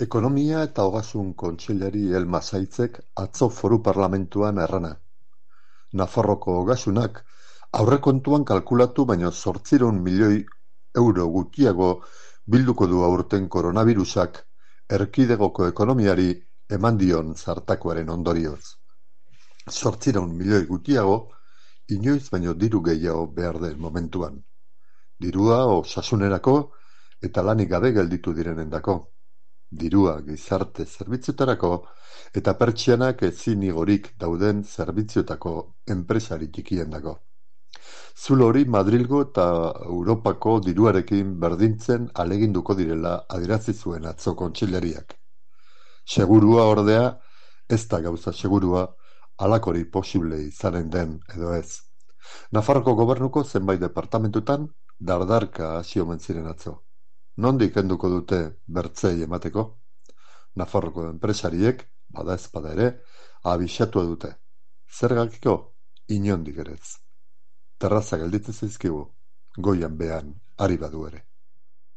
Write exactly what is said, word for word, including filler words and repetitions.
Ekonomia eta Ogasun Kontseilari Elma Saitzek atzo Foru Parlamentuan errana. Nafarroko Ogasunak aurrekontuan kalkulatu baino zortziehun milioi euro gutxiago bilduko du aurten koronabirusak erkidegoko ekonomiari eman dion zartakoaren ondorioz. Zortziehun milioi gutxiago, inoiz baino diru gehiago behar den momentuan. Dirua osasunerako eta lanik gabe gelditu direnendako. Dirua gizarte zerbitzuetarako eta pertsianak ezin igorik dauden zerbitzuetako enpresari txikiendako. Zulo hori Madrilgo eta Europako diruarekin berdintzen ahaleginduko direla adierazi zuen atzo kontseilariak. Segurua ordea, ez da gauza segurua, halakori posible izanen den edo ez. Nafarroko gobernuko zenbait departamentutan dardarka hasi omen ziren atzo. Nondik kenduko dute bertzei emateko? Nafarroko enpresariek, bada ezpada ere, abixatua dute. Zergakiko? Inondik ere ez. Terraza gelditzen zaizkigu, goian behan ari badu ere.